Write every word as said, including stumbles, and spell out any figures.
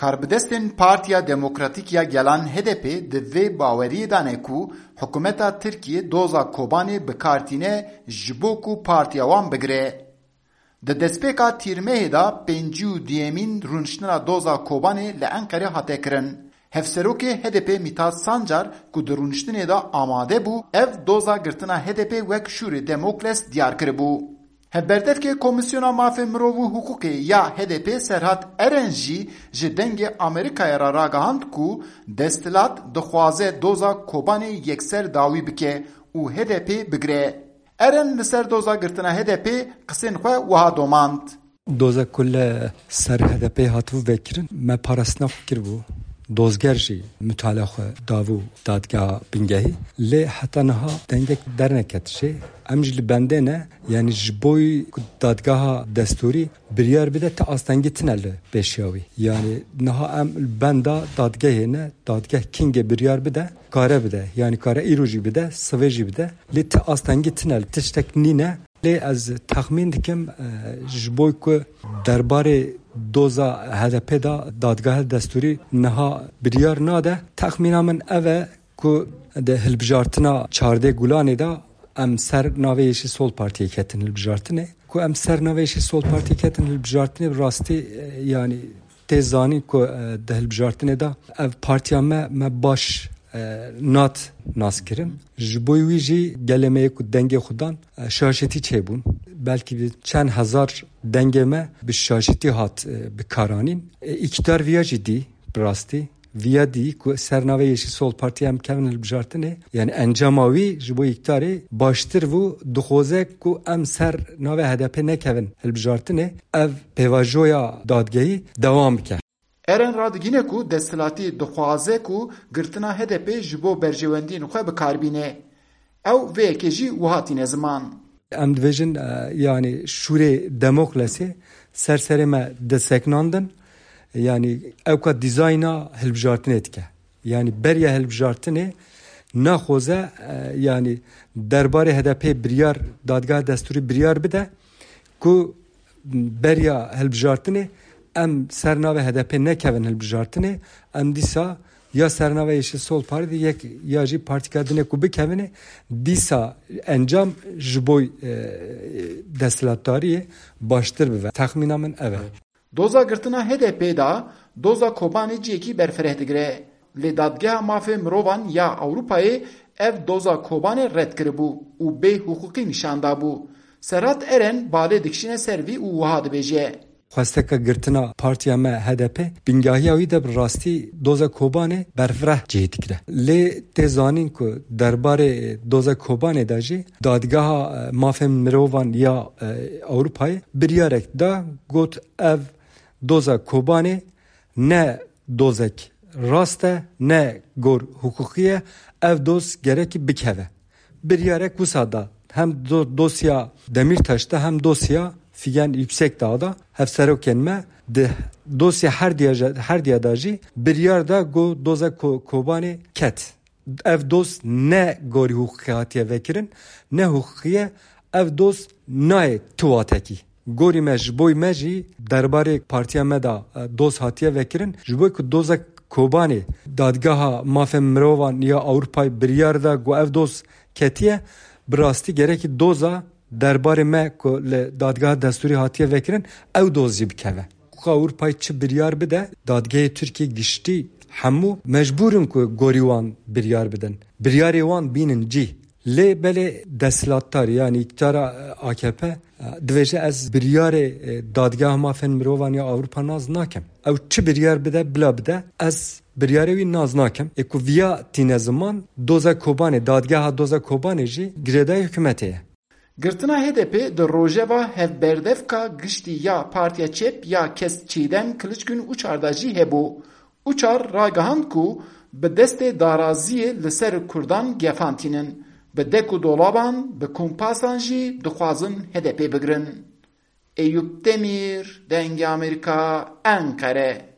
Karbidestên Partiya Demokratîk ya Gelan H D P di vê baweriyê de ne ku hikûmeta Tirkiyê doza Kobanê bi kar tîne ji bo ku partiya wan bigire. Di destpêka Tîrmehê de pêncî û duyemîn rûniştina doza Kobanê li Enqerê hate kirin. Hevserokê H D P Mithat Sancar ku di rûniştinê de amade bû, ev doza girtina H D P wek şûrê Demokles diyar kiribû. Hevberdevkê Komîsyona Mafê Mirov û Hiqûqê ya H D P Serhat Eren jî ji Dengê Amerîkayê re ragihand ku desthilat dixwaze doza Kobanê yekser dawî bike û H D P bigire. Eren li ser doza girtina H D P qisên xwe wiha domand. Doza ku li ser H D P hatibû vekirin, me parastina xwe kiribû. Dozger jî mutala xwe dabû dadgeha bingehî. Lê heta niha dengek derneket jê. Em jî li bendê ne, yanî ji bo ku dadgeha destûrî biryar bide, ti astengî tine li pêşiya wî. Yanî niha em li benda dadgehê ne, dadgeh kingê biryar bide, kare bide. Yanî kare îro jî bide, sivê jî bide. Lê ti astengî tine, tiştek nîne. Lê ez texmîn dikim, e, ji bo ku derbarê doza H D P de dadgeha destûrî niha biryar nade, texmîna min ev e ku di hilbijartina çardeh Gulanê de em ser navê Yeşil Sol Partiyê ketin hilbijartinê. Ku em ser navê Yeşil Sol Partiyê ketin hilbijartinê, bi rastî, e, yanî tê zanîn ku, e, di hilbijartinê de ev partiya me, me baş, e, nat nas kirin. Ji bo wî jî gelê me yê ku dengê xwe dan, e, şaşetî çêbûn. Belkî bi çend hezar dengê me bi şaşetî hat, e, bi karanîn. E, îktidar viya jî dî, bi rastî. Viya dî ku ser navê Yeşil Sol Partiyê em kevin hilbijartinê, yani encama wî ji bo îktidarê baştir bû, dixwaze ku em ser navê H D P nekevin hilbijartinê, ev pêvajoya dadgehî dewam bike. Eren radigîne ku desthilatî dixwaze ku girtina H D P ji bo berjewendiyên xwe bi kar bîne. Ew vê yekê jî wiha tîne ziman. Em dibêjin, e, yanî şûrê Demoklesê ser serê me diseknandin. Yanî ewka dîzayna hilbijartinê dike. Yanî beriya hilbijartinê naxoze, e, yanî derbarê H D P biryar, dadgeha destûrî biryar bide ku beriya hilbijartinê em ser navê H D P nekevin hilbijartinê, em dîsa ya ser navê Yeşil Sol Parti yek ya jî partîka dinê ku bikevine, dîsa encam ji bo, e, desthilatdariyê baştir bibe. Texmîna min ev e. Doza girtina H D P de doza Kobanê cihekî berfireh digire. Lê Dadgeha Mafê Mirovan ya Ewropayê ev doza Kobanê red kiribû û bê hiqûqî nîşan dabû. Serhat Eren balê dikişîne ser vî û wiha dibêje. Xwesteka girtina partiya me H D P bingahiya wî de bi rastî doza Kobanê berfireh cihê digire. Lê tê zanîn ku derbarê doza Kobanê de jî Dadgeha, e, Mafên Mirovan ya, e, Ewropayê biryarek da, got ev doza Kobanê ne dozek rast e, ne gor hiqûqî ye, ev doz gerekî bikeve. Biryarek wisa da, hem do-, dosya Demîrtaş de hem dosya Figen Yüksekdağ da, hevserokên me di dosya her diya, her diya da jî biryar da ku doza Ko-, Kobanê ket. Ev doz ne gorî hiqûqî hatiye vekirin, ne hiqûqî ye, ev doz nayê tu watekî. Gorî me ji boy me jî derbarê partiya me de, e, doz hatiye vekirin. Ji bo ku doza Kobanê Dadgeha Mafên Mirovan ya Ewropayê biryar da ku ev doz ketiye, bi rastî gerekî doza derbarê me ku li Dadgeha Destûrî hatiye vekirin, ew doz jî bikeve. Hiqûqa Ewropayê çi biryar bide, dadgehê Tirkiyê giştî hemû mecbûr in ku gorî wan biryar bidin. Biryarê wan bînin cî. Lê belê desthilatdar, yanî îktidara, e, A K P, e, dibêje ez biryarê, e, Dadgeha Mafên Mirovan ya Ewropa nas nakim. Ew çi biryar bide, bila bide, ez biryarê wî nas nakim. Ê ku viya tîne ziman, doza Kobanê, dadgeha doza Kobanê jî girêdayî hikûmetê ye. Girtina H D P di rojeva hevberdevka giştî ya Partiya Çep ya kes Çiğdem Kılıçgün Uçar de jî hebû. Uçar ragihand ku bi destê daraziyê li ser Kurdan gefan tînin, bi dek û dolaban, bi kompasan jî dixwazin H D P bigirin. Eyûp Demîr, Dengê Amerîka, Enqere.